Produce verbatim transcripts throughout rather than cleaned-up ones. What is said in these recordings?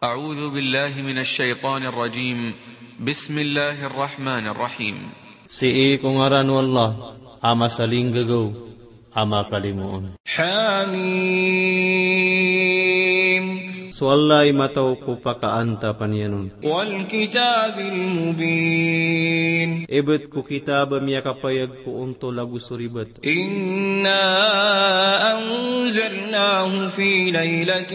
أعوذ بالله من الشيطان الرجيم. بسم الله الرحمن الرحيم. Sii ko ngaran o Allah a masalinggagaw a makalimoon. حم. So Allah i matao ko pakaantapan iyan on. والكتاب المبين. Ibt ko kitab a miyakapayag ko ontol ago so ribat. إنا أنزلناه في ليلة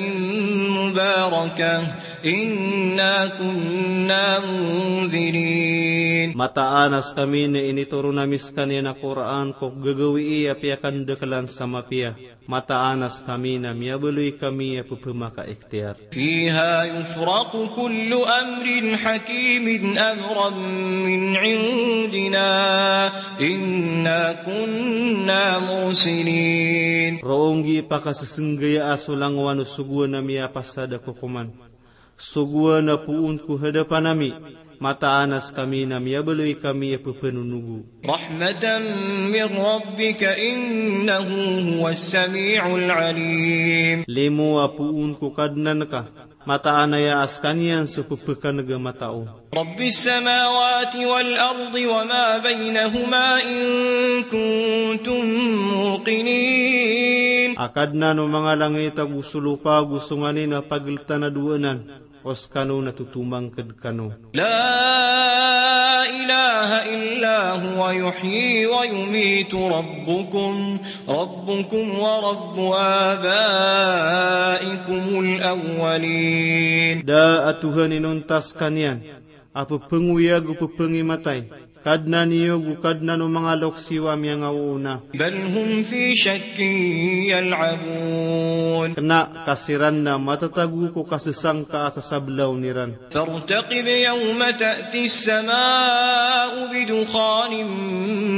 مباركة إنا كنا منذرين. Mataan a skami na initoron ami skaniyan a Qur'an ko gagawii a piyakandaklan sa mapiya. Mataan a skami na miyabaloy kami a pphamakaikhtiyar. فيها يفرق كل أمر حكيم أمرا من عندنا إنا كنا مرسلين. Roo nggi pakasesenggayaa so langowan o sogoan a miyapasad a kokoman, sogoan a poon ko hadapan ami. Mataan a skami na miyabaloy kami a pphanonogo. رحمة من ربك إنه هو السميع العليم. Limo a poon ko Kadnan ka, mataan aya a skaniyan so pphakaneg a matao. رب السماوات والأرض وما بينهما إن كنتم موقنين. A Kadnan o manga langit ago so lopa ago so nganin a pageltan a dowa anan, o skano na totomangked kano. لا إله إلا هو يحيي ويميت ربكم، ربكم ورب آبائكم الأولين. Da a Tohan inonta skaniyan a pphangoyag o pphangimatay, Kadnan iyo ago Kadnan o manga loks iyo a miyangaoona. بل هم في شك يلعبون. Kena ka siran na matatago ko kasesangka a sasablaon iran. فارتقب يوم تأتي السماء بدخان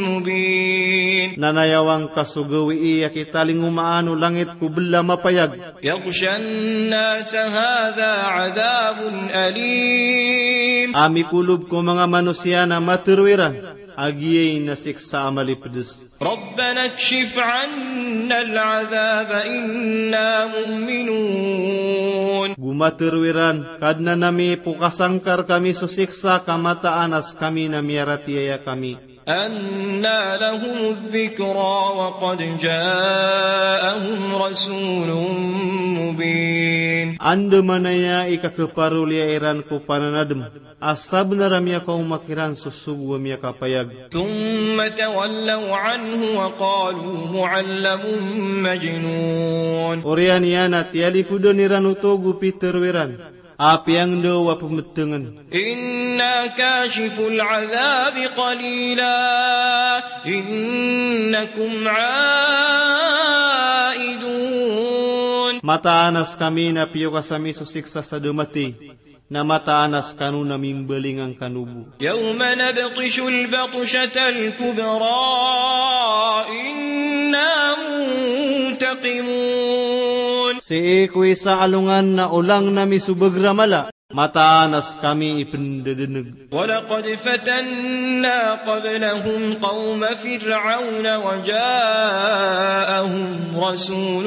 مبين. Na nayawang ka so gawii a kitalingomaan o langit ko bela a mapayag. يغشى الناس هذا عذاب أليم. A mikolob ko manga manosiya na matero iran a giyai na siksa a malipedes. ربنا اكشف عنا العذاب إنا مؤمنون. Go matero iran, Kadnan ami, pokasangkar kami so siksa ka mataan a skami na miyaratiyaya kami. أنى لهم الذكرى وقد جاءهم رسول مبين. Anda manaya i kakeparoliya iran ko pananadem a sabenar a miyakaoma kiran so sogo a miyakapayag. ثم تولوا عنه وقالوا معلم مجنون. Oriyan iyan a tiyalipodan iran oto go pitero iran a piyangndao a pemetengen. إنا كاشفو العذاب قليلا إنكم عائدون. Mataan a skami na piyokas ami so siksa sa da matey, na mataan a skano na mimbalingan kano bo. يوم نبطش البطشة الكبرى إنا منتقمون. Sii ko isa a alongan na olangn ami so bager a mala, mataan a skami i pendedeneg. ولقد فتنا قبلهم قوم فرعون وجاءهم رسول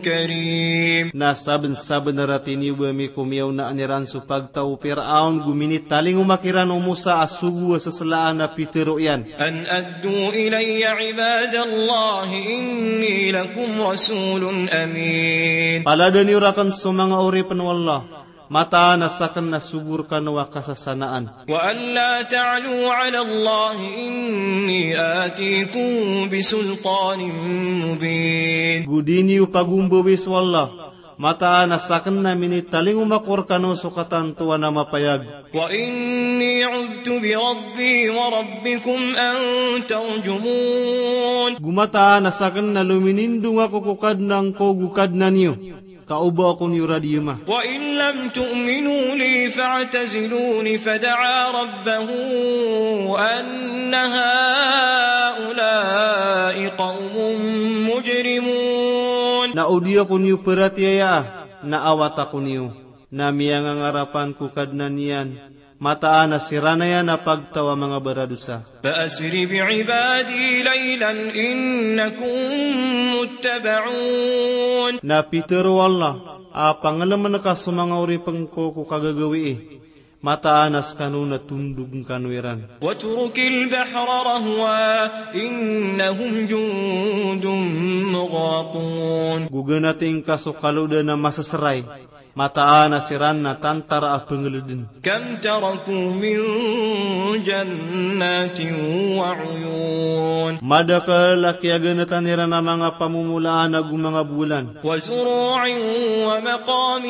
كريم. Na sabensabenar a tiniyoba ami ko miyaonaan iran so pagtaw o Piraon go minitalingoma kiran o Musa a sogo a seselaan a pitero iyan. أن أدوا إلي عباد الله إني لكم رسول أمين. Palada niyo raken so manga oripen o Allah, mataan a saken na sogo rekano a kasasanaan. وأن لا تعلوا على الله إني آتيكم بسلطان مبين. Go di niyo pagombawii so Allah, mataan a saken na minitalingoma ko rekano so katantowan a mapayag. وإني عذت بربي وربكم أن ترجمون. Go mataan a saken na lominindong ako ko Kadnan ko go Kadnan iyo, ka o ba ako niyo radiyema. وإن لم تؤمنوا لي فاعتزلون فدعا ربه أن هؤلاء قوم مجرمون. Na o di ako niyo peratiyayaa, na awat ako niyo. Na miyangangarapan ko Kadnan iyan, mataan a siran aya na pagtaw a manga baradosa. فأسر بعبادي ليلا إنكم متبعون. Na pitero o Allah, a panglemen ka so manga oripn ko ko kagagawii. Mataan a skano na tondog kano iran. واترك البحر رهوا إنهم جند مغرقون. Go ganating ka so kalodan a maseseray. Mataan a siran na tantara a pengeleden. كم تركوا من جنات وعيون. Madakel a kiyaganatan iran a manga pamomolaan ago manga bolan. وزروع ومقام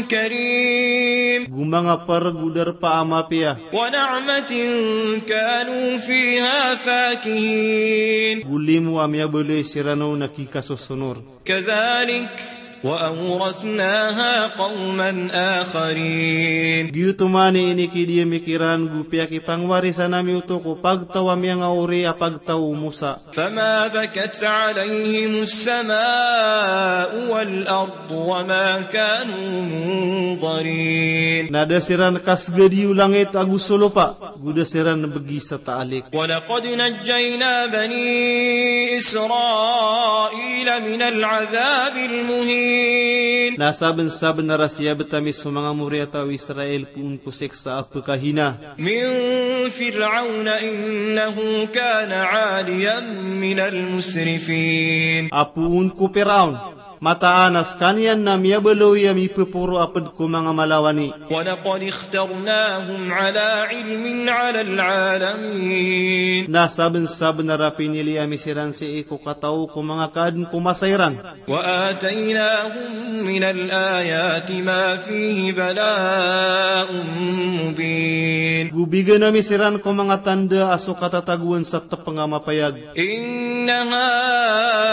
كريم. Go manga per go darpa a mapiya. ونعمة كانوا فيها فاكهين. Go limo a miyabaloy siran on a kikasosonor. كذلك وأورثناها قوما آخرين. Giyoto man i inikidiyami kiran go piyakipangwarisan ami oto ko pagtaw a miyangaori a pagtaw o Musa. فما بكت عليهم السماء والأرض وما كانوا منظرين. Na da siran kasgadi o langit ago so lopa, go da siran begi sa taalik. ولقد نجينا بني إسرائيل من العذاب المهين. Na sabensabenar a siyabt ami so manga moriyataw o Israel poon ko siksa a pekahina. من فرعون إنه كان عاليا من المسرفين. A poon ko Piraon, mataan a skaniyan na miyabaloy a mipeporo a ped ko manga malawani. ولقد اخترناهم على علم على العالمين. Na sabensabenar a pinili ami siran sii ko kataw ko manga kaadn ko masa iran. وآتيناهم من الآيات ما فيه بلاء مبين. Go bigan ami siran ko manga tanda a so katatagoan sa tepeng a mapayag. إن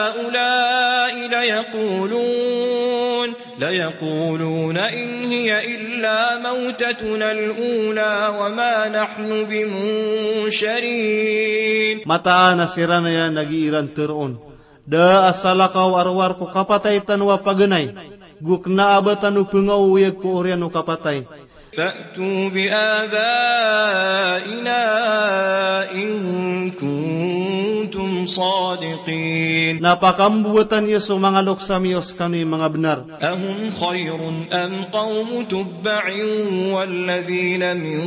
هؤلاء ليقولون، ليقولون إن هي إلا موتتنا الأولى وما نحن بمنشرين. Mataan a siran aya na giiran teroon. Da a salakaw a rowar ko kapatay tano a paganay. Go kena a ba tano pengaoyag ko oriyan o kapatay. فأتوا بآبائنا إن كنتم صادقين. Na pakambowatan iyo so manga loks ami o skano i manga benar. أهم خير أم قوم تبع والذين من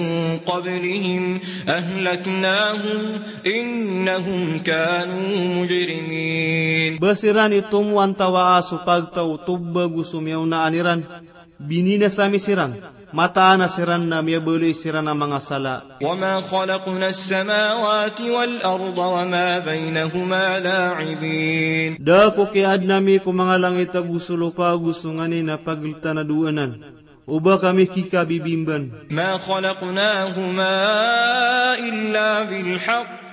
قبلهم أهلكناهم إنهم كانوا مجرمين. Ba siran i tomo antawaa so pagtaw o Tubba go so miyaonaan iran. Bininasa ami siran, mataan a siran na miyabaloy siran a manga sala. وما خلقنا السماوات والأرض وما بينهما لاعبين. Da ko kiyaadn ami ko manga langit ago so lopa ago so nganin a pageltan a dowa anan. O ba kami kikabibimban. ما خلقناهما إلا بالحق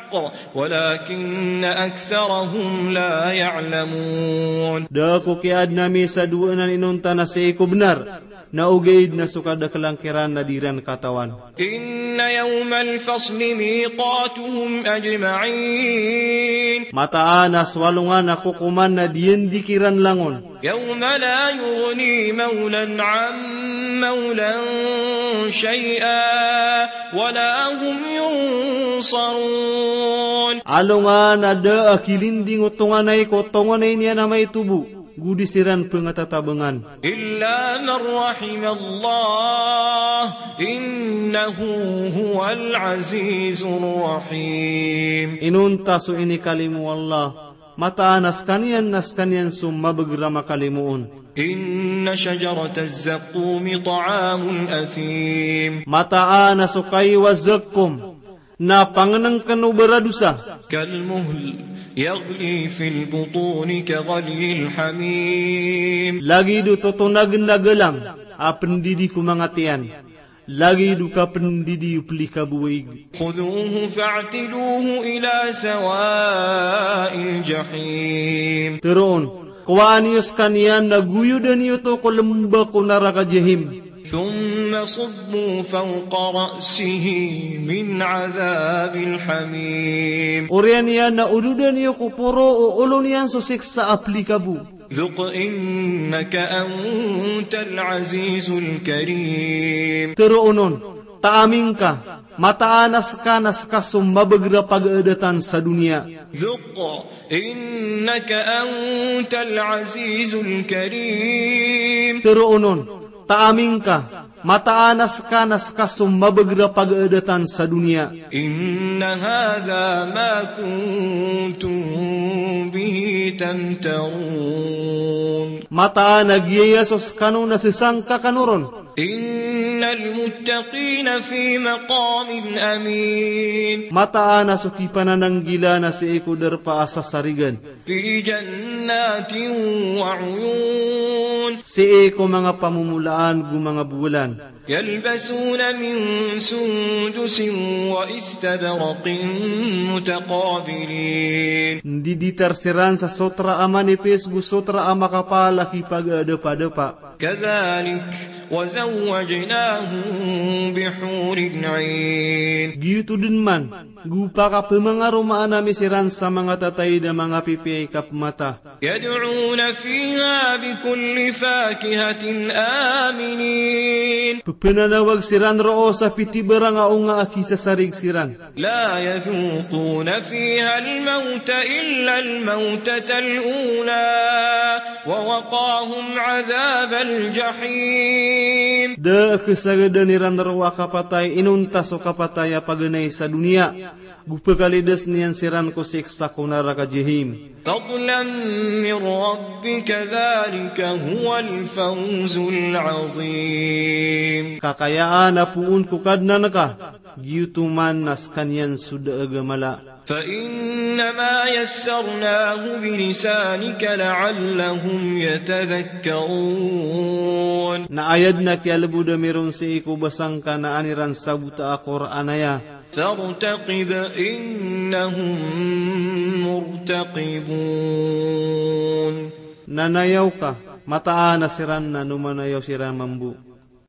ولكن أكثرهم لا يعلمون. Da ko kiyaadn ami sa dowa anan inonta na sii ko benar, na ogaid na so kadakelan kiran na di ran katawan. إن يوم الفصل ميقاتهم أجمعين. Mataan a so alongan a kokoman na diyandi kiran langon. يوم لا يغني مولى عن مولى شيئا ولا هم ينصرون. Alongan a da a kilinding o tonganay ko tonganay niyan a maitobo, go di siran pengatatabangan. إلا من رحم الله إنه هو العزيز الرحيم. Inonta so inikalimo o Allah, mataan a skaniyan na skaniyan so mabagr a makalimoon. إن شجرة الزقوم طعام الأثيم. Mataan a so kaiwa zakkum na pangnngkn o baradosa. كالمهل يغلي في البطون كغلي الحميم. Lagid o totonagn a galang a pndidi ko manga tiyan. Lagid o kapndidi o plikabo a ig. خذوه فاعتلوه إلى سواء الجحيم. Tharoon, kowaa niyo skaniyan na goyodan iyo oto ko lmba ko naraka Jahim. ثم صبوا فوق رأسه من عذاب الحميم. Oriyan iyan na ododan iyo ko poro o olo niyan so siksa a plikabo. ذق إنك أنت العزيز الكريم. Tharoon on, taami ngka, Mataan a ska na ska so mabagr a pagaadatan sa doniya. ذق إنك أنت العزيز الكريم. Tharoon on, taaming ka, mataan a ska na ska so mabagr a pagaadatan sa doniya. إن هذا ما كنتم به تمترون. Mataan a giyaya so skano na sesangka kano ron. إن المتقين في مقام أمين. Mataan a so kipanananggila na sii ko darpa a sasarigan. في جنات وعيون. Sii ko manga pamomolaan go manga bolan. يلبسون من سندس وإستبرق متقابلين. Ndiditar siran sa sotra a manipis go sotra a makapal a kipagadapadapa. كذلك وزوجناهم بحور عين. Giyoto den man, go pakapemangaromaan ami siran sa manga tataid a manga pipiya i kapemata. يدعون فيها بكل فاكهة آمنين. Pepenanawag siran roo sa pitibarang a onga a kisasarig siran. لا يذوقون فيها الموت إلا الموتة الأولى ووقاهم عذاب الجحيم. Da a kesagadan iran roo a kapatay inonta so kapatay a paganay sa doniya. Go pekalidas niyan siran ko siksa ko naraka Jahim. فضلا من ربك ذلك هو الفوز العظيم. Kakayaan a poon ko Kadnan ka, giyoto man na sekaniyan so daag a mala. فإنما يسرناه بلسانك لعلهم يتذكرون. Na aya den a kiyalebod ami ron sii ko basa ngka na an iran sabota a Qur'an aya. فارتقب إنهم مرتقبون. Na nayaw ka, mataan a siran na nomanayaw siran mambo.